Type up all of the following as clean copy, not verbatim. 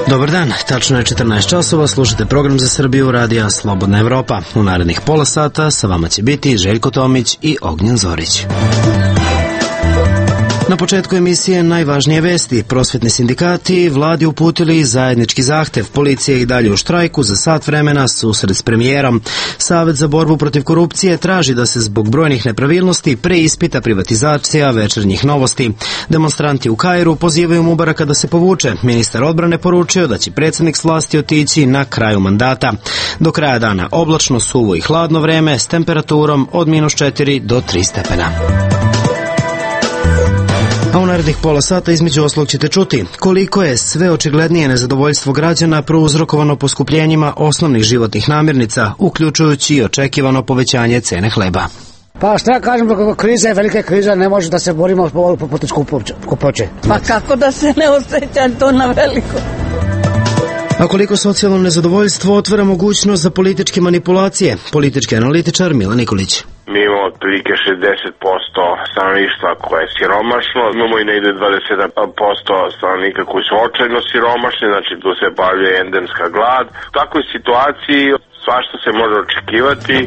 Dobar dan, tačno je 14 časova, slušate program za Srbiju radija Slobodna Evropa. U narednih pola sata sa vama će biti Željko Tomić i Ognjen Zorić. Na početku emisije najvažnije vesti. Prosvetni sindikati vladi uputili zajednički zahtev. Policija je i dalje u štrajku za sat vremena, susret s premijerom. Savet za borbu protiv korupcije traži da se zbog brojnih nepravilnosti preispita privatizacija Večernjih novosti. Demonstranti u Kairu pozivaju Mubaraka da se povuče. Ministar odbrane poručio da će predsjednik s vlasti otići na kraju mandata. Do kraja dana oblačno, suvo i hladno vreme s temperaturom od -4 do 3 stepena. A u narednih pola sata između oslog ćete čuti koliko je sve očiglednije nezadovoljstvo građana prouzrokovano poskupljenjima osnovnih životnih namirnica, uključujući i očekivano povećanje cene hleba. Pa šta kažem, kriza je velika kriza, ne može da se borimo protiv skupoće. Pa kako da se ne osjeća to na veliko? A koliko socijalno nezadovoljstvo otvara mogućnost za političke manipulacije? Politički analitičar Milan Nikolić. Mi imamo otprilike 60% stanovništva koje je siromašno, imamo i negde 27% stanovnika koji su očajno siromašni, znači tu se pojavljuje endemska glad. U takvoj situaciji svašta se može očekivati.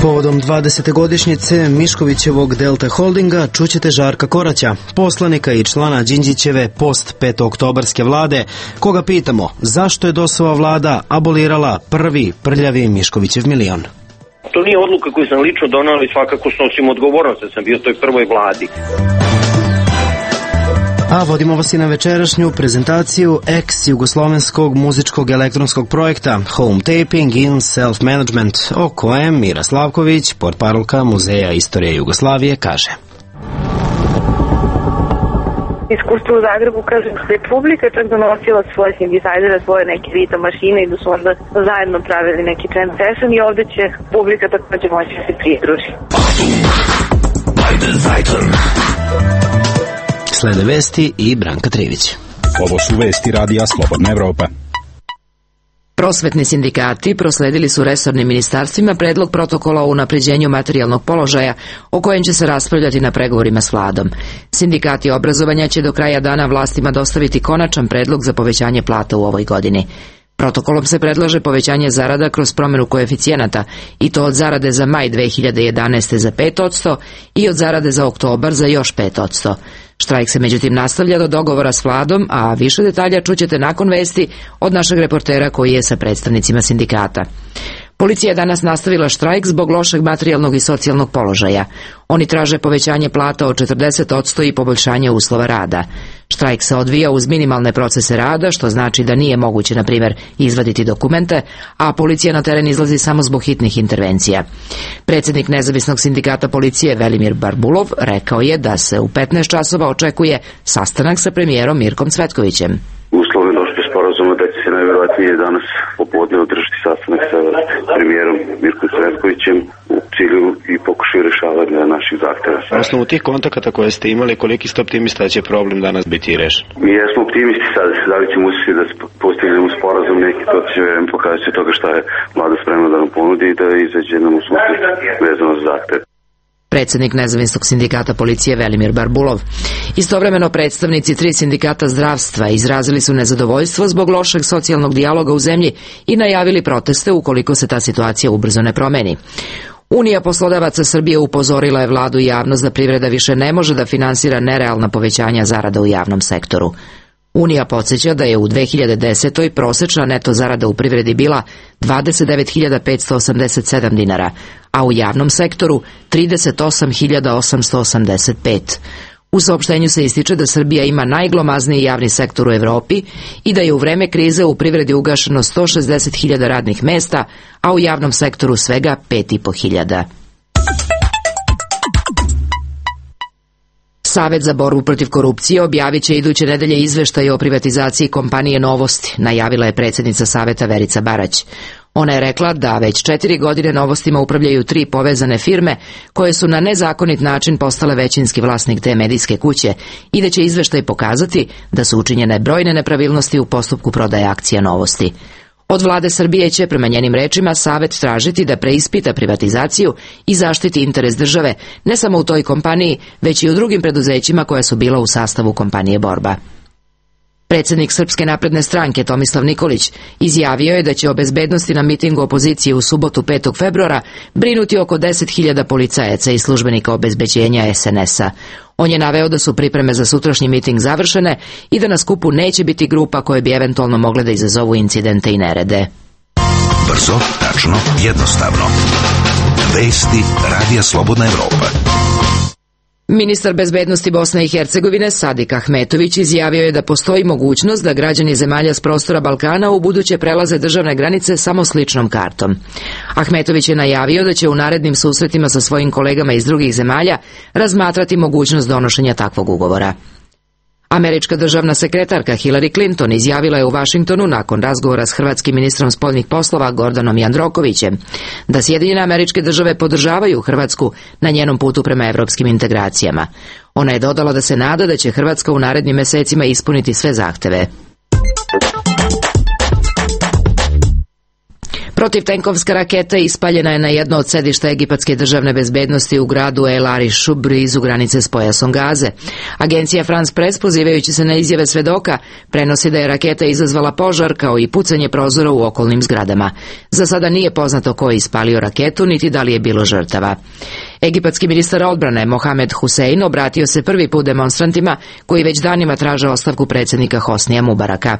Povodom 20. godišnjice Miškovićevog Delta Holdinga čućete Žarka Koraća, poslanika i člana Đinđićeve post-petooktobarske vlade, koga pitamo zašto je DOS-ova vlada abolirala prvi prljavi Miškovićev milion. To nije odluka koju sam lično donao i svakako snosim odgovornost da sam bio u toj prvoj vladi. A vodimo vas i na večerašnju prezentaciju ex-jugoslovenskog muzičkog elektronskog projekta Home Taping in Self-Management, o kojem Mira Slavković, portparolka Muzeja istorije Jugoslavije, kaže. Iskustvo u Zagrebu, kažem, da je publika čak donosila svoje sintesajzere, svoje neke rito mašine i da su onda zajedno pravili neki jam session i ovde će publika takođe moći da se pridruži. Slede vesti i Branka Trivić. Ovo su vesti radija Slobodna Evropa. Prosvetni sindikati prosledili su resornim ministarstvima predlog protokola o unapređenju materijalnog položaja o kojem će se raspravljati na pregovorima s vladom. Sindikati obrazovanja će do kraja dana vlastima dostaviti konačan predlog za povećanje plata u ovoj godini. Protokolom se predlaže povećanje zarada kroz promjenu koeficijenata i to od zarade za maj 2011. za 5% i od zarade za oktobar za još 5%. Štrajk se međutim nastavlja do dogovora s vladom, a više detalja čućete nakon vesti od našeg reportera koji je sa predstavnicima sindikata. Policija je danas nastavila štrajk zbog lošeg materijalnog i socijalnog položaja. Oni traže povećanje plata od 40% i poboljšanje uslova rada. Štrajk se odvija uz minimalne procese rada, što znači da nije moguće, na primjer, izvaditi dokumente, a policija na teren izlazi samo zbog hitnih intervencija. Predsjednik nezavisnog sindikata policije Velimir Barbulov rekao je da se u 15 časova očekuje sastanak sa premijerom Mirkom Cvetkovićem. Uslovi došli sporazuma da će se najvjerovatnije danas popodne održati sastanak sa premijerom Mirkom Cvetkovićem u cilju i pokušaju rešavanja naših zahtjeva. Na osnovu tih kontakata koje ste imali, koliki ste optimista da će problem danas biti rešen? Mi jesmo optimisti sad, da li ćemo uspjeti da postignemo sporazum neki, to će pokazati toga šta je vlada spremna da nam ponudi i da izađe nam u susret vezano za zahtjev. Predsjednik nezavisnog sindikata policije Velimir Barbulov. Istovremeno predstavnici 3 sindikata zdravstva izrazili su nezadovoljstvo zbog lošeg socijalnog dijaloga u zemlji i najavili proteste ukoliko se ta situacija ubrzo ne promeni. Unija poslodavaca Srbije upozorila je vladu i javnost da privreda više ne može da finansira nerealna povećanja zarada u javnom sektoru. Unija podsjeća da je u 2010. prosječna neto zarada u privredi bila 29.587 dinara, a u javnom sektoru 38.885. U saopštenju se ističe da Srbija ima najglomazniji javni sektor u Evropi i da je u vreme krize u privredi ugašeno 160.000 radnih mesta, a u javnom sektoru svega 5.500. Savet za borbu protiv korupcije objavit će iduće nedelje izveštaj o privatizaciji kompanije Novosti, najavila je predsjednica Saveta Verica Barać. Ona je rekla da već 4 godine Novostima upravljaju 3 povezane firme koje su na nezakonit način postale većinski vlasnik te medijske kuće i da će izveštaj pokazati da su učinjene brojne nepravilnosti u postupku prodaje akcija Novosti. Od vlade Srbije će, prema njenim rečima, Savet tražiti da preispita privatizaciju i zaštiti interes države, ne samo u toj kompaniji, već i u drugim preduzećima koja su bila u sastavu kompanije Borba. Predsjednik Srpske napredne stranke Tomislav Nikolić izjavio je da će o bezbednosti na mitingu opozicije u subotu 5. februara brinuti oko 10.000 policajaca i službenika obezbeđenja SNS-a. On je naveo da su pripreme za sutrašnji miting završene i da na skupu neće biti grupa koje bi eventualno mogle da izazovu incidente i nerede. Brzo, tačno, jednostavno. Vesti Radija Slobodna Evropa. Ministar bezbednosti Bosne i Hercegovine Sadik Ahmetović izjavio je da postoji mogućnost da građani zemalja s prostora Balkana u buduće prelaze državne granice samo s ličnom kartom. Ahmetović je najavio da će u narednim susretima sa svojim kolegama iz drugih zemalja razmatrati mogućnost donošenja takvog ugovora. Američka državna sekretarka Hillary Clinton izjavila je u Vašingtonu nakon razgovora s hrvatskim ministrom spoljnih poslova Gordanom Jandrokovićem da Sjedinjene Američke Države podržavaju Hrvatsku na njenom putu prema evropskim integracijama. Ona je dodala da se nada da će Hrvatska u narednim mesecima ispuniti sve zahteve. Protivtenkovska raketa ispaljena je na jedno od sedišta egipatske državne bezbednosti u gradu El Arišu blizu granice s pojasom Gaze. Agencija France Press, pozivajući se na izjave svedoka, prenosi da je raketa izazvala požar kao i pucanje prozora u okolnim zgradama. Za sada nije poznato ko je ispalio raketu, niti da li je bilo žrtava. Egipatski ministar odbrane Mohamed Hussein obratio se prvi put demonstrantima koji već danima traže ostavku predsjednika Hosnija Mubaraka.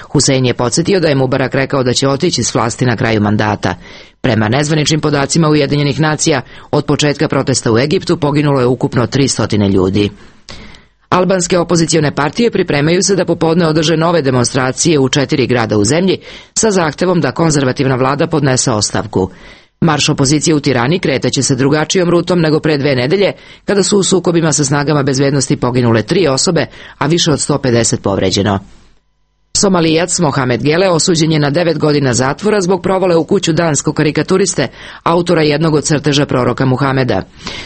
Hussein je podsjetio da je Mubarak rekao da će otići s vlasti na kraju mandata. Prema nezvaničnim podacima Ujedinjenih nacija, od početka protesta u Egiptu poginulo je ukupno 300 ljudi. Albanske opozicione partije pripremaju se da popodne održe nove demonstracije u 4 grada u zemlji sa zahtevom da konzervativna vlada podnese ostavku. Marš opozicije u Tirani kretaće se drugačijom rutom nego pre 2 nedelje, kada su u sukobima sa snagama bezbednosti poginule 3 osobe, a više od 150 povređeno. Somalijac Mohamed Gele osuđen je na 9 godina zatvora zbog provale u kuću danskog karikaturiste, autora jednog od crteža proroka Muhameda.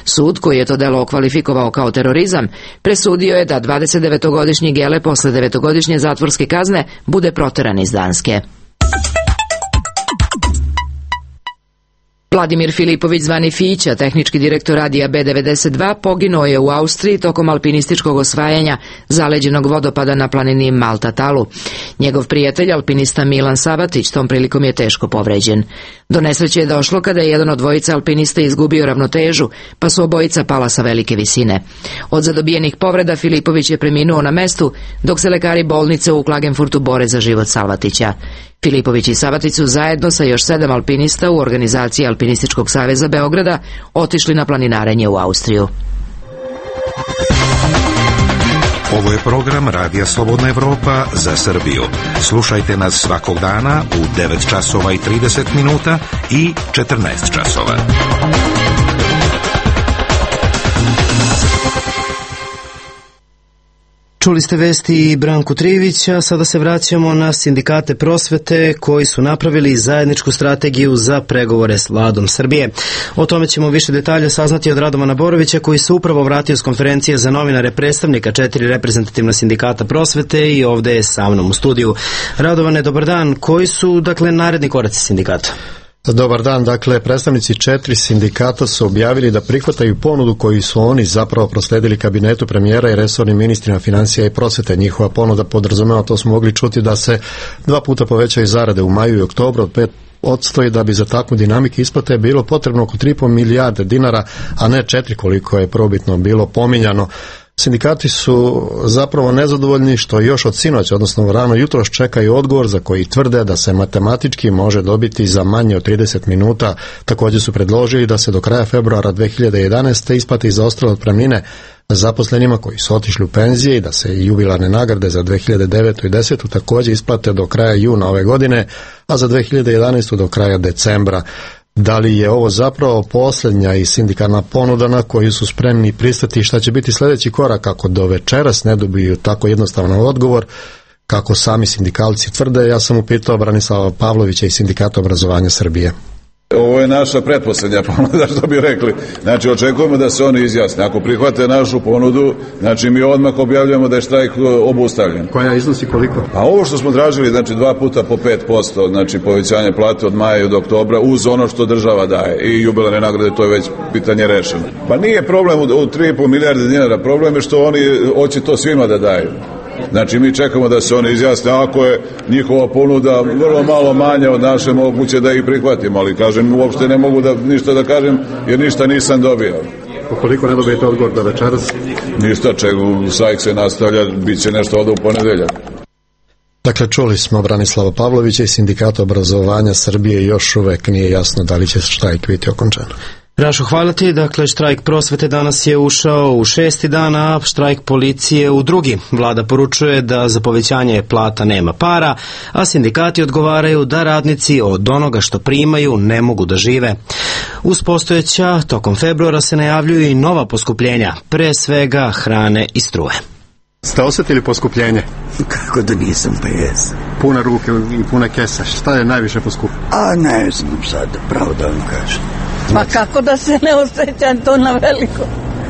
Sud, koji je to delo okvalifikovao kao terorizam, presudio je da 29-godišnji Gele posle 9-godišnje zatvorske kazne bude proteran iz Danske. Vladimir Filipović, zvani Fića, tehnički direktor radija B92, poginuo je u Austriji tokom alpinističkog osvajanja zaleđenog vodopada na planini Malta-Talu. Njegov prijatelj, alpinista Milan Sabatić, tom prilikom je teško povređen. Do nesreće je došlo kada je jedan od dvojice alpinista izgubio ravnotežu, pa su obojica pala sa velike visine. Od zadobijenih povreda Filipović je preminuo na mestu, dok se lekari bolnice u Klagenfurtu bore za život Salvatića. Filipović i Sabatić su zajedno sa još 7 alpinista u organizaciji Alpinističkog saveza Beograda otišli na planinarenje u Austriju. Ovo je program Radija Slobodna Evropa za Srbiju. Slušajte nas svakog dana u 9 časova i 30 minuta i 14 časova. Čuli ste vesti Branku Trivića, sada se vraćamo na sindikate prosvete koji su napravili zajedničku strategiju za pregovore s vladom Srbije. O tome ćemo više detalja saznati od Radovana Borovića, koji se upravo vratio s konferencije za novinare predstavnika 4 reprezentativna sindikata prosvete i ovdje je sa mnom u studiju. Radovane, dobar dan. Koji su, naredni koraci sindikata? Dobar dan, predstavnici 4 sindikata su objavili da prihvataju ponudu koju su oni zapravo prosledili kabinetu premijera i resornim ministrima financija i prosvete. Njihova ponuda podrazumeva, to smo mogli čuti, da se 2 puta povećaju zarade u maju i oktobru od 5% i da bi za takvu dinamiku isplate bilo potrebno oko 3,5 milijarde dinara, a ne 4 koliko je probitno bilo pominjano. Sindikati su zapravo nezadovoljni što još od sinoć, odnosno rano jutros, čekaju odgovor za koji tvrde da se matematički može dobiti za manje od 30 minuta. Također su predložili da se do kraja februara 2011. isplati zaostale otpremnine zaposlenima koji su otišli u penzije i da se jubilarne nagrade za 2009. i 2010. također isplate do kraja juna ove godine, a za 2011. do kraja decembra. Da li je ovo zapravo posljednja i sindikalna ponuda na koju su spremni pristati, šta će biti sljedeći korak ako do večeras ne dobiju tako jednostavan odgovor, kako sami sindikalci tvrde? Ja sam upitao Branislava Pavlovića iz Sindikata obrazovanja Srbije. Ovo je naša pretposlednja ponuda, što bi rekli. Znači, očekujemo da se oni izjasne. Ako prihvate našu ponudu, znači mi odmah objavljujemo da je štrajk obustavljen. Koja iznosi koliko? A ovo što smo tražili, znači 2 puta po 5%, znači povećanje plate od maja i do oktobra, uz ono što država daje i jubilarne nagrade, to je već pitanje rešeno. Pa nije problem u 3,5 milijarde dinara, problem je što oni hoće to svima da daju. Znači mi čekamo da se oni izjasne, ako je njihova ponuda vrlo malo manja od naše, moguće da ih prihvatimo, ali kažem, uopšte ne mogu ništa da kažem jer ništa nisam dobio. Ukoliko ne dobijete odgovor da večeras? Ništa, štrajk se nastavlja, bit će nešto ovdje u ponedeljak. Dakle, čuli smo Branislava Pavlovića iz Sindikata obrazovanja Srbije, još uvek nije jasno da li će štrajk biti okončan. Rašo, hvala ti. Dakle, štrajk prosvete danas je ušao u 6. dan, a štrajk policije u 2. Vlada poručuje da za povećanje plata nema para, a sindikati odgovaraju da radnici od onoga što primaju ne mogu da žive. Uz postojeća, tokom februara se najavljuju i nova poskupljenja, pre svega hrane i struje. Ste osjetili poskupljenje? Kako da nisam, pa jesam. Pune ruke i pune kesa. Šta je najviše poskupilo? A ne znam sad, pravo da vam kažem. Pa kako da se ne osjećam to na veliko?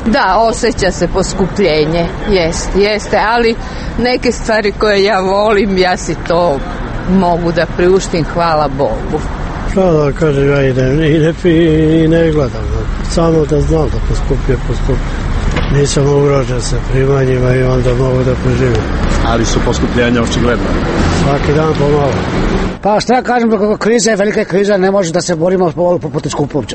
Da, osjeća se poskupljenje, jeste, ali neke stvari koje ja volim, ja si to mogu da priuštim, hvala Bogu. Šta da kažem, ja ne pijem i ne gledam, samo da znam da poskupije. Nisam ugrožen sa primanjima i onda mogu da preživim. Ali su poskupljenja očigledno? Svaki dan pomalo. Pa šta kažem, kriza je velika kriza, ne može da se borimo protiv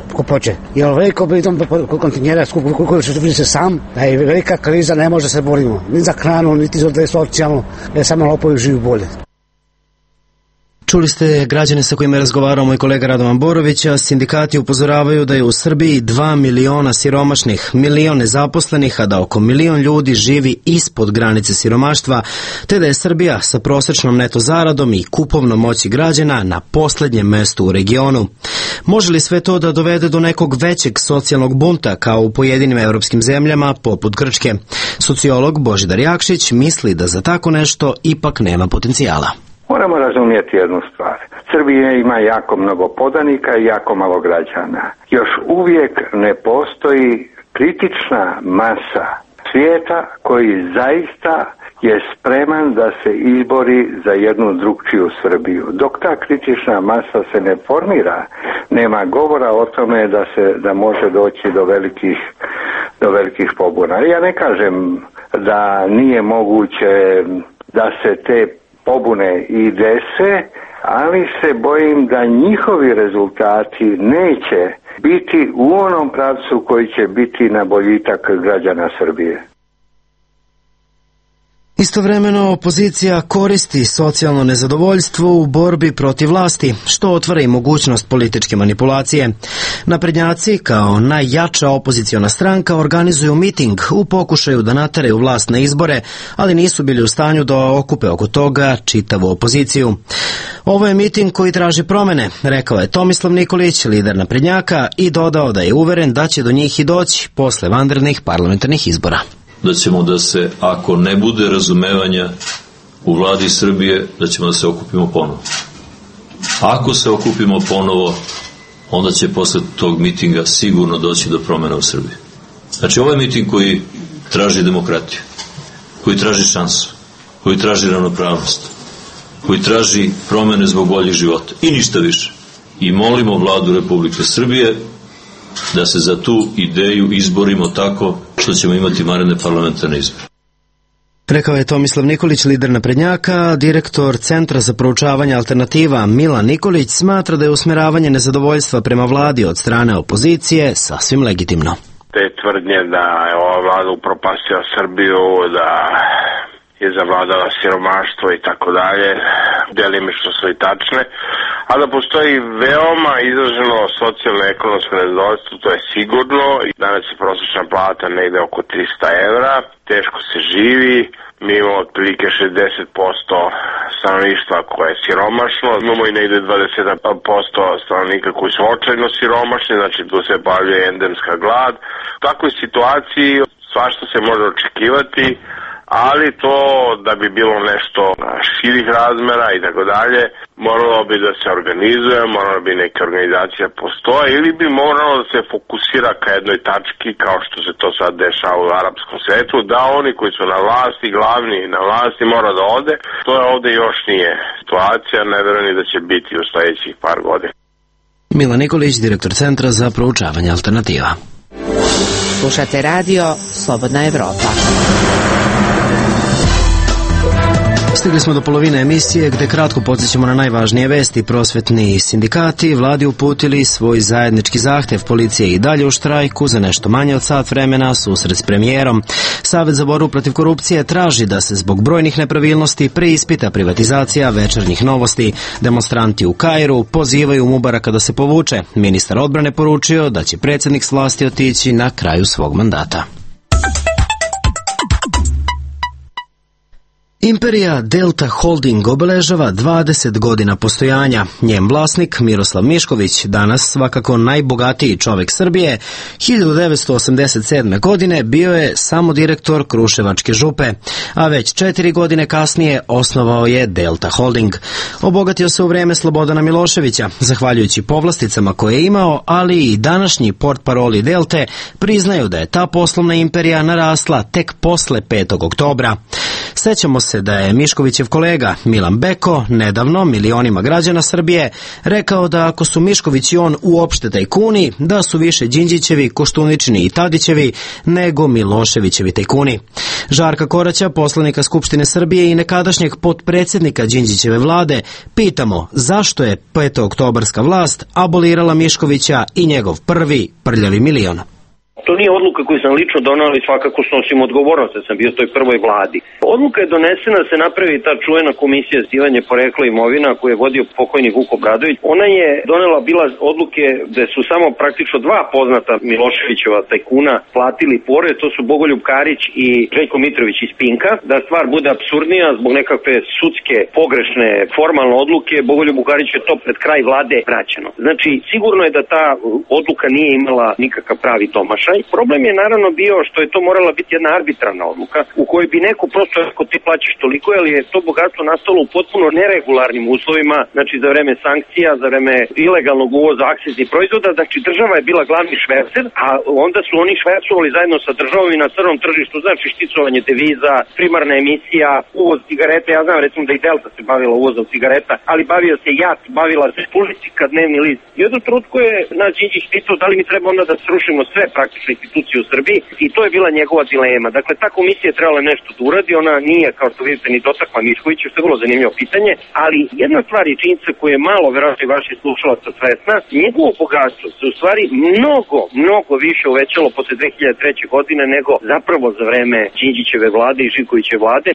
skupoće. Jer veliko bitom kontinjera koliko vidi se sam, da je velika kriza, ne može da se borimo. Ni za hranu, niti za socijalno, jer samo lopovi živi bolje. Čuli ste građane sa kojima je razgovarao moj kolega Radovan Borović, a sindikati upozoravaju da je u Srbiji 2 miliona siromašnih, milion nezaposlenih, a da oko milion ljudi živi ispod granice siromaštva, te da je Srbija sa prosečnom neto zaradom i kupovnom moći građana na poslednjem mestu u regionu. Može li sve to da dovede do nekog većeg socijalnog bunta kao u pojedinim evropskim zemljama poput Grčke? Sociolog Božidar Jakšić misli da za tako nešto ipak nema potencijala. Moramo razumjeti jednu stvar. Srbija ima jako mnogo podanika i jako malo građana. Još uvijek ne postoji kritična masa svijeta koji zaista je spreman da se izbori za jednu drugčiju Srbiju. Dok ta kritična masa se ne formira, nema govora o tome da može doći do velikih pobuna. Ja ne kažem da nije moguće da se te pobune i dese, ali se bojim da njihovi rezultati neće biti u onom pravcu koji će biti na boljitak građana Srbije. Istovremeno opozicija koristi socijalno nezadovoljstvo u borbi protiv vlasti, što otvara i mogućnost političke manipulacije. Naprednjaci, kao najjača opoziciona stranka, organizuju miting u pokušaju da nateraju vlast na izbore, ali nisu bili u stanju da okupe oko toga čitavu opoziciju. Ovo je miting koji traži promene, rekao je Tomislav Nikolić, lider naprednjaka, i dodao da je uveren da će do njih i doći posle vanrednih parlamentarnih izbora. Da ćemo da se, ako ne bude razumevanja u vladi Srbije, da ćemo da se okupimo ponovo. Ako se okupimo ponovo, onda će posle tog mitinga sigurno doći do promjena u Srbiji. Znači, ovo je miting koji traži demokratiju, koji traži šansu, koji traži ravnopravnost, koji traži promjene zbog boljih života i ništa više. I molimo vladu Republike Srbije da se za tu ideju izborimo tako što ćemo imati vanredne parlamentarne izbore. Rekao je Tomislav Nikolić, lider naprednjaka. Direktor Centra za proučavanje alternativa Milan Nikolić smatra da je usmeravanje nezadovoljstva prema vladi od strane opozicije sasvim legitimno. Te tvrdnje da je ova vlada upropastila Srbiju, da je zavladala siromaštvo i tako dalje, delimično su i tačne, a da postoji veoma izraženo socijalno-ekonomsko nezadovoljstvo, to je sigurno. Danas je prosječna plata negde oko 300 evra, teško se živi, mi imamo otprilike 60% stanovništva koje je siromašno, imamo i negde 27% stanovnika koji su očajno siromašni, znači tu se pojavljuje endemska glad. U takvoj situaciji svašta se može očekivati, ali to da bi bilo nešto širih razmera i tako dalje, moralo bi da se organizuje, moralo bi neka organizacija postoje ili bi moralo da se fokusira ka jednoj tački kao što se to sad dešava u arapskom svetu, da oni koji su na vlasti, glavni na vlasti mora da ode. To je ovde još nije situacija, ne verujem da će biti u sledećih par godina. Milan Nikolić, direktor Centra za proučavanje alternativa. Slušate radio Slobodna Evropa. Stigli smo do polovine emisije gde kratko podsjećamo na najvažnije vesti. Prosvetni sindikati vladi uputili svoj zajednički zahtev. Policija je i dalje u štrajku za nešto manje od sat vremena, susret s premijerom. Savet za borbu protiv korupcije traži da se zbog brojnih nepravilnosti preispita privatizacija Večernjih novosti. Demonstranti u Kairu pozivaju Mubaraka da se povuče. Ministar odbrane poručio da će predsjednik s vlasti otići na kraju svog mandata. Imperija Delta Holding obeležava 20 godina postojanja. Njen vlasnik Miroslav Mišković, danas svakako najbogatiji čovjek Srbije, 1987. godine bio je samo direktor Kruševačke župe, a već 4 godine kasnije osnovao je Delta Holding. Obogatio se u vreme Slobodana Miloševića, zahvaljujući povlasticama koje je imao, ali i današnji portparoli Delte priznaju da je ta poslovna imperija narasla tek posle 5. oktobra. Sećamo se da je Miškovićev kolega Milan Beko nedavno milionima građana Srbije rekao da ako su Mišković i on uopšte tajkuni, da su više Đinđićevi, Koštuničini i Tadićevi nego Miloševićevi tajkuni. Žarka Koraća, poslanika Skupštine Srbije i nekadašnjeg potpredsjednika Đinđićeve vlade, pitamo zašto je 5. oktobarska vlast abolirala Miškovića i njegov prvi prljavi milion. To nije odluka koju sam lično donao, ali svakako snosim odgovornost, jer sam bio u toj prvoj vladi. Odluka je donesena da se napravi ta čuvena komisija za ispitivanje porekla imovina koju je vodio pokojni Vuk Obradović. Ona je donela bila odluke da su samo praktično dva poznata Miloševićeva tajkuna platili porez, to su Bogoljub Karić i Željko Mitrović iz Pinka. Da stvar bude apsurdnija, zbog nekakve sudske pogrešne formalne odluke, Bogoljubu Kariću je to pred kraj vlade vraćeno. Znači, sigurno je da ta odluka nije imala nikakav pravi domašaj. Problem je naravno bio što je to morala biti jedna arbitrarna odluka u kojoj bi neko prosto rekao ti plaćaš toliko, jer je to bogatstvo nastalo u potpuno neregularnim uslovima, znači za vreme sankcija, za vreme ilegalnog uvoza akciznih proizvoda, znači država je bila glavni švercer, a onda su oni švercovali zajedno sa državom i na crnom tržištu, znači šticovanje deviza, primarna emisija, uvoz cigareta, ja znam recimo da i Delta se bavila uvozom cigareta, ali bavio se JAT, bavila se Politika, Dnevni list. I jednom trenutku je naš Đinđić pitao da li mi treba onda da srušimo sve praktično institucije u Srbiji i to je bila njegova dilema. Dakle, ta komisija je trebala nešto da uradi, ona nije, kao što vidite, ni dotakla Miškovića, što je vrlo zanimljivo pitanje, ali jedna stvar je činjenica koja je malo, verovatno i vaših slušalaca svesna, njegovo bogatstvo se u stvari mnogo više uvećalo posle 2003. godine nego zapravo za vreme Đinđićeve vlade i Živkovićeve vlade.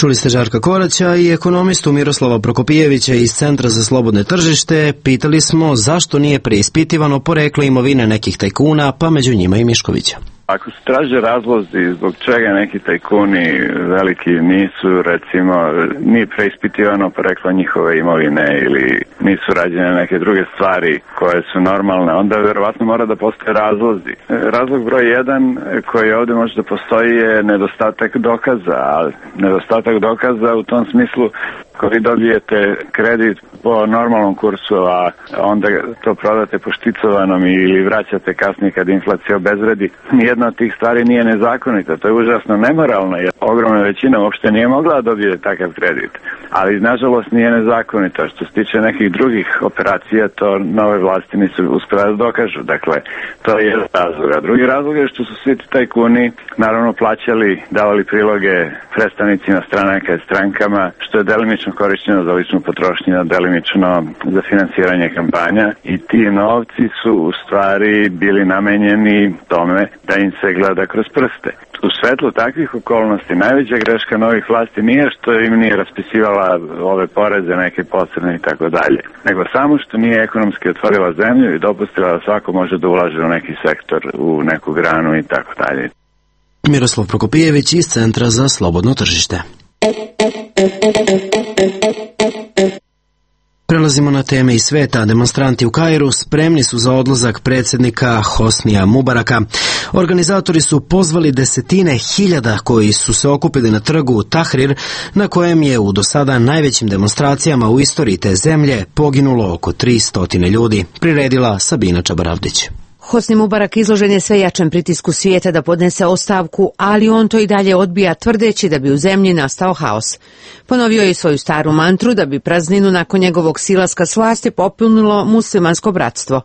Čuli ste Žarka Koraća i ekonomistu Miroslava Prokopijevića iz Centra za slobodne tržište. Pitali smo zašto nije preispitivano poreklo imovine nekih tajkuna, pa među njima i Miškovića. Ako se traže razlozi zbog čega neki tajkuni veliki nisu, recimo, nije preispitivano poreklo njihove imovine ili nisu rađene neke druge stvari koje su normalne, onda verovatno mora da postoje razlozi. Razlog broj 1 koji ovdje može da postoji je nedostatak dokaza, ali nedostatak dokaza u tom smislu ako vi dobijete kredit po normalnom kursu, a onda to prodate po šticovanom ili vraćate kasnije kad inflacija obezvredi, nijedna od tih stvari nije nezakonita. To je užasno nemoralno, jer ogromna većina uopšte nije mogla da dobije takav kredit. Ali, nažalost, nije nezakonita. Što se tiče nekih drugih operacija, to nove vlasti nisu uspjela da dokažu. Dakle, to je jedan razlog. A drugi razlog je što su svi ti tajkuni naravno plaćali, davali priloge predstavnicima stranaka i strankama, što je delimično korišćeno za ličnu potrošnju, delimično za finansiranje kampanja i ti novci su u stvari bili namenjeni tome da im se gleda kroz prste. U svetlu takvih okolnosti najveća greška novih vlasti nije što im nije raspisivala ove poreze, neke posredne i tako dalje, nego samo što nije ekonomski otvorila zemlju i dopustila da svako može da ulaže u neki sektor, u neku granu i tako dalje. Miroslav Prokopijević iz Centra za slobodno tržište. Prelazimo na teme iz sveta. Demonstranti u Kairu spremni su za odlazak predsjednika Hosnija Mubaraka. Organizatori su pozvali desetine hiljada koji su se okupili na trgu Tahrir, na kojem je u do sada najvećim demonstracijama u istoriji te zemlje poginulo oko 300 ljudi. Priredila Sabina Čabaravdić. Hosni Mubarak izložen je sve jačem pritisku svijeta da podnese ostavku, ali on to i dalje odbija tvrdeći da bi u zemlji nastao haos. Ponovio je svoju staru mantru da bi prazninu nakon njegovog silaska s vlasti popunilo muslimansko bratstvo.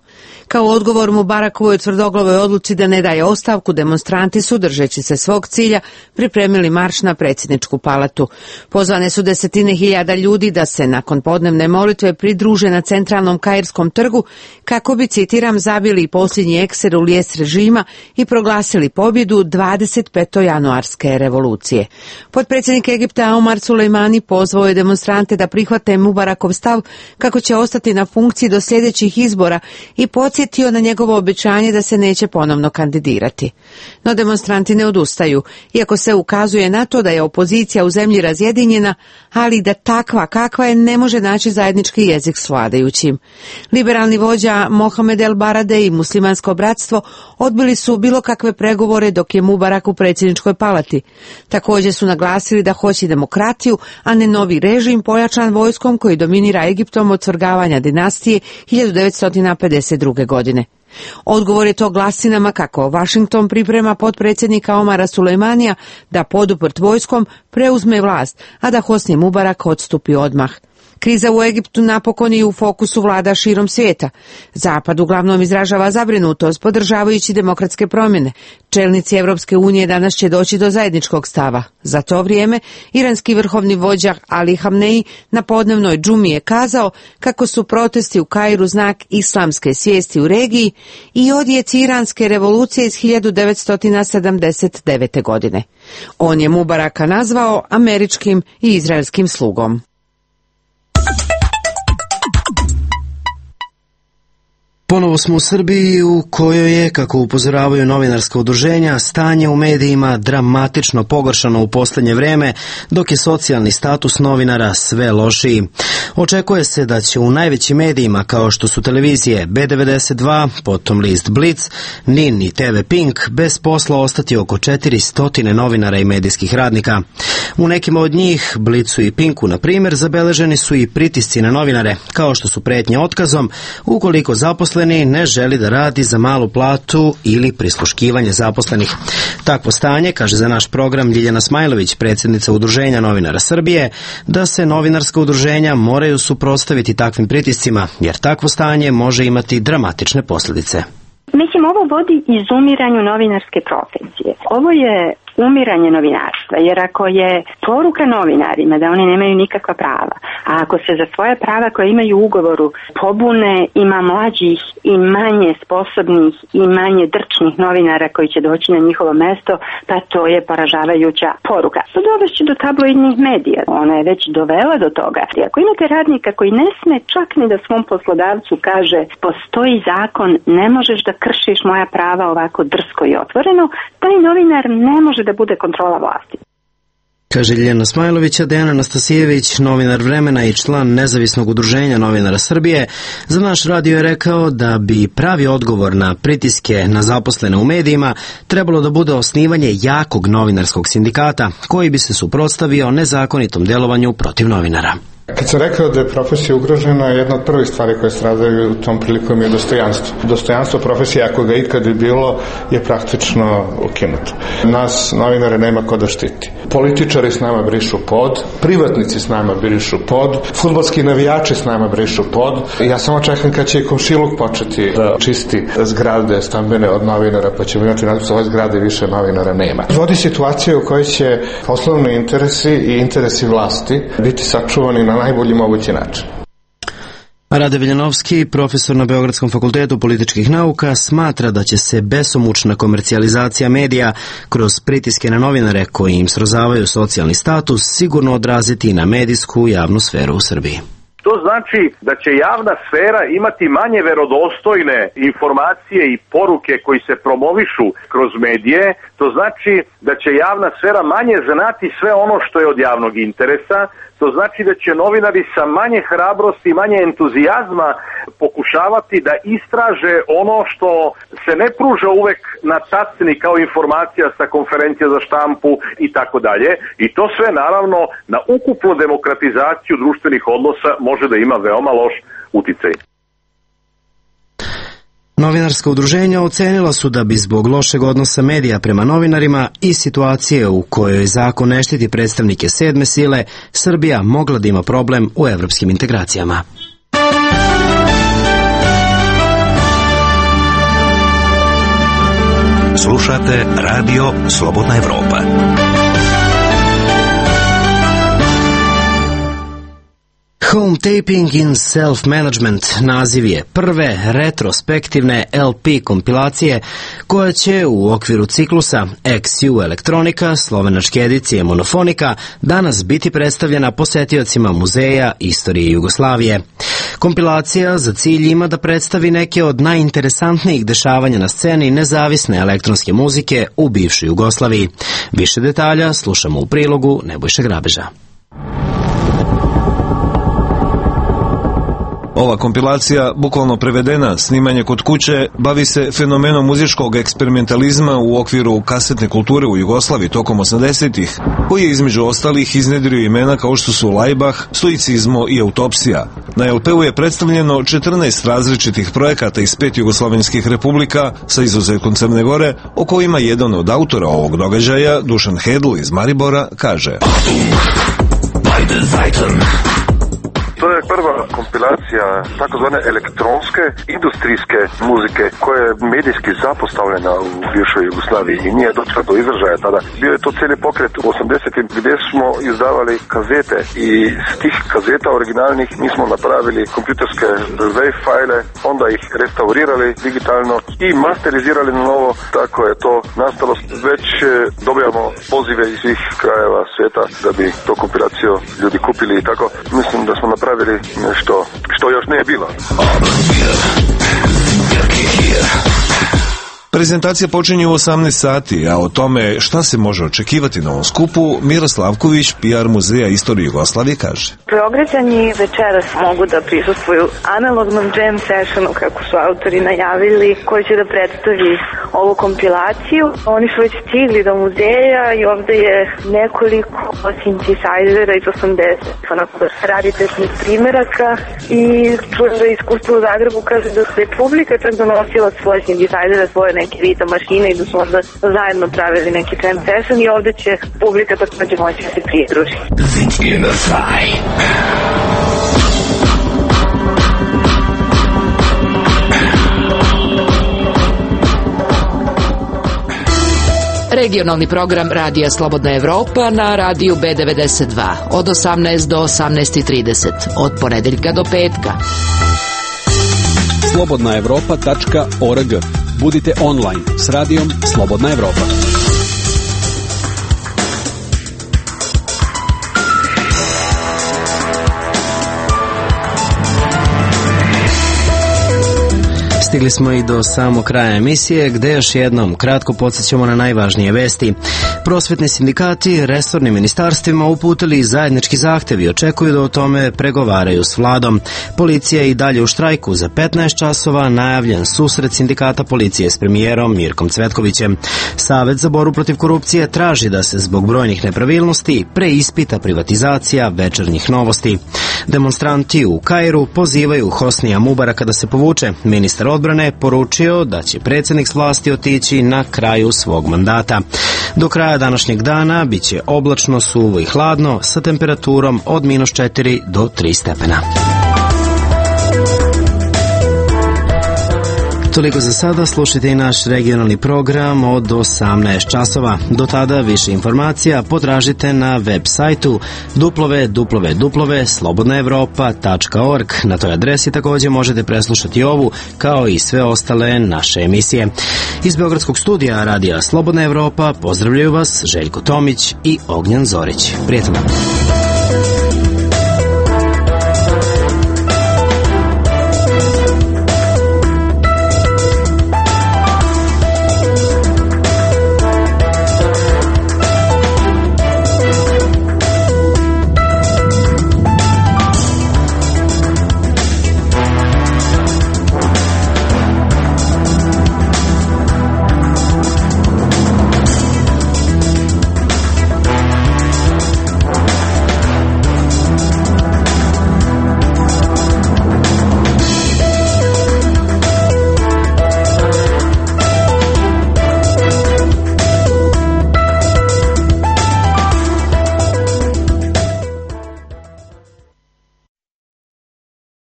Kao odgovor Mubarakovoj tvrdoglavoj odluci da ne daje ostavku, demonstranti su, držeći se svog cilja, pripremili marš na predsjedničku palatu. Pozvane su desetine hiljada ljudi da se nakon podnevne molitve pridruže na centralnom kairskom trgu kako bi, citiram, zabili posljednji ekser u lijes režima i proglasili pobjedu 25. januarske revolucije. Potpredsjednik Egipta Omar Sulejmani pozvao je demonstrante da prihvate Mubarakov stav kako će ostati na funkciji do sljedećih izbora i podsjetio na njegovo obećanje da se neće ponovno kandidirati. No demonstranti ne odustaju, iako se ukazuje na to da je opozicija u zemlji razjedinjena, ali da takva kakva je ne može naći zajednički jezik s vladajućim. Liberalni vođa Mohamed El Barade i muslimansko bratstvo odbili su bilo kakve pregovore dok je Mubarak u predsjedničkoj palati. Također su naglasili da hoće demokratiju, a ne novi režim pojačan vojskom koji dominira Egiptom od svrgavanja dinastije 1952. godine. Odgovor je to glasinama kako Washington priprema potpredsjednika Omara Sulejmanija da poduprt vojskom preuzme vlast, a da Hosni Mubarak odstupi odmah. Kriza u Egiptu napokon je u fokusu vlada širom svijeta. Zapad uglavnom izražava zabrinutost podržavajući demokratske promjene. Čelnici Europske unije danas će doći do zajedničkog stava. Za to vrijeme iranski vrhovni vođa Ali Hamnei na podnevnoj džumi je kazao kako su protesti u Kairu znak islamske svijesti u regiji i odjeci iranske revolucije iz 1979. godine. On je Mubaraka nazvao američkim i izraelskim slugom. Ponovo smo u Srbiji u kojoj je, kako upozoravaju novinarska udruženja, stanje u medijima dramatično pogoršano u posljednje vrijeme, dok je socijalni status novinara sve lošiji. Očekuje se da će u najvećim medijima kao što su televizije B92, potom list Blic, NIN i TV Pink bez posla ostati oko 400 novinara i medijskih radnika. U nekima od njih, Blicu i Pinku na primjer, zabeleženi su i pritisci na novinare, kao što su prijetnje otkazom ukoliko zaposleni ne želi da radi za malu platu ili prisluškivanje zaposlenih. Takvo stanje, kaže za naš program Ljiljana Smajlović, predsjednica Udruženja novinara Srbije, da se novinarska udruženja moraju suprotstaviti takvim pritiscima, jer takvo stanje može imati dramatične posljedice. Mislim, ovo vodi izumiranju novinarske profesije. Ovo je umiranje novinarstva, jer ako je poruka novinarima da oni nemaju nikakva prava, a ako se za svoje prava koje imaju u ugovoru pobune, ima mlađih i manje sposobnih i manje drčnih novinara koji će doći na njihovo mesto, pa to je poražavajuća poruka. To dovešće do tabloidnih medija. Ona je već dovela do toga. I ako imate radnika koji ne sme čak ni da svom poslodavcu kaže postoji zakon, ne možeš da kršiš moja prava ovako drsko i otvoreno, taj novinar ne može da bude kontrola vlasti. Kaže Ljiljana Smajlović. Dejan Anastasijević, novinar Vremena i član nezavisnog udruženja novinara Srbije, za naš radio je rekao da bi pravi odgovor na pritiske na zaposlene u medijima trebalo da bude osnivanje jakog novinarskog sindikata koji bi se suprotstavio nezakonitom djelovanju protiv novinara. Kad sam rekao da je profesija ugrožena, jedna od prvih stvari koje stradaju u tom prilikom je dostojanstvo. Dostojanstvo profesije, ako ga ikad bi bilo, je praktično ukinuto. Nas, novinare, nema ko da štiti. Političari s nama brišu pod, privatnici s nama brišu pod, fudbalski navijači s nama brišu pod. Ja samo čekam kad će i komšiluk početi da čisti zgrade stambene od novinara, pa ćemo imati nadam se ove zgrade više novinara nema. Vodi situacija u kojoj će poslovni interesi i interesi vlasti biti sačuvani na najbolji mogući način. Rade Viljanovski, profesor na Beogradskom fakultetu političkih nauka, smatra da će se besomučna komercijalizacija medija kroz pritiske na novinare koji im srozavaju socijalni status sigurno odraziti na medijsku javnu sferu u Srbiji. To znači da će javna sfera imati manje verodostojne informacije i poruke koji se promovišu kroz medije. To znači da će javna sfera manje znati sve ono što je od javnog interesa. To znači da će novinari sa manje hrabrosti i manje entuzijazma pokušavati da istraže ono što se ne pruža uvek na tacni kao informacija sa konferencija za štampu i tako dalje. I to sve naravno na ukupnu demokratizaciju društvenih odnosa može da ima veoma loš uticaj. Novinarska udruženja ocenila su da bi zbog lošeg odnosa medija prema novinarima i situacije u kojoj zakon ne štiti predstavnike sedme sile, Srbija mogla da ima problem u evropskim integracijama. Slušate Radio Slobodna Evropa. Home Taping in Self-Management naziv je prve retrospektivne LP kompilacije koja će u okviru ciklusa XU Elektronika, slovenačke edicije Monofonika, danas biti predstavljena posetiocima Muzeja istorije Jugoslavije. Kompilacija za cilj ima da predstavi neke od najinteresantnijih dešavanja na sceni nezavisne elektronske muzike u bivšoj Jugoslaviji. Više detalja slušamo u prilogu Nebojše Grabeža. Ova kompilacija, bukvalno prevedena, snimanje kod kuće, bavi se fenomenom muzičkog eksperimentalizma u okviru kasetne kulture u Jugoslaviji tokom 80-ih, koji je između ostalih iznedrio imena kao što su Lajbah, Stoicizmo i Autopsija. Na LP-u je predstavljeno 14 različitih projekata iz 5 jugoslovenskih republika, sa izuzetkom Crne Gore, o kojima jedan od autora ovog događaja, Dušan Hedl iz Maribora, kaže: To je prva kompilacija takozvane elektronske industrijske muzike koja je medijski zapostavljena u bivšoj Jugoslaviji i nije došla do izražaja tada. Bio je to cijeli pokret u 80-im gdje smo izdavali kazete i s tih kazeta originalnih mi smo napravili kompjuterske WAV fajle, onda ih restaurirali digitalno i masterizirali na novo. Tako je to nastalo. Već dobijamo pozive iz svih krajeva svijeta da bi to kompilaciju ljudi kupili i tako. Mislim da smo napravili nešto što još nije bilo. Prezentacija počinje u 18 sati, a o tome šta se može očekivati na ovom skupu, Mira Slavković, PR Muzeja istorije Jugoslavije, kaže: Beograđani večeras mogu da prisustvuju analognom jam sessionu, kako su autori najavili, koji će da predstavi ovu kompilaciju. Oni su već stigli do muzeja i ovde je nekoliko synthesizera iz 80, onako raritetnih primeraka, i čujem da iskustvo u Zagrebu kaže da se publika čak donosila svoje synthesizere, svoje neke rita mašine i da su onda zajedno pravili neki jam session i ovde će publika takođe moći da se pridruži. Regionalni program Radija Slobodna Evropa na radiju B92 od 18 do 18:30, od ponedeljka do petka. slobodnaevropa.org. Budite online s radijom Slobodna Evropa. Stigli smo i do samog kraja emisije, gde još jednom kratko podsjećamo na najvažnije vesti. Prosvetni sindikati resornim ministarstvima uputili zajednički zahtev i očekuju da o tome pregovaraju s vladom. Policija je i dalje u štrajku. Za 15 časova najavljen susret sindikata policije s premijerom Mirkom Cvetkovićem. Savet za borbu protiv korupcije traži da se zbog brojnih nepravilnosti preispita privatizacija Večernjih novosti. Demonstranti u Kairu pozivaju Hosnija Mubaraka da se povuče. Ministar odbrane poručio da će predsjednik s vlasti otići na kraju svog mandata. Do kraja današnjeg dana biće oblačno, suvo i hladno sa temperaturom od -4 do 3 stepena. Toliko za sada, slušajte i naš regionalni program od 18 časova. Do tada više informacija potražite na web sajtu www.slobodnaevropa.org. Na toj adresi također možete preslušati ovu kao i sve ostale naše emisije. Iz Beogradskog studija Radija Slobodna Evropa pozdravljaju vas Željko Tomić i Ognjan Zorić. Prijatno.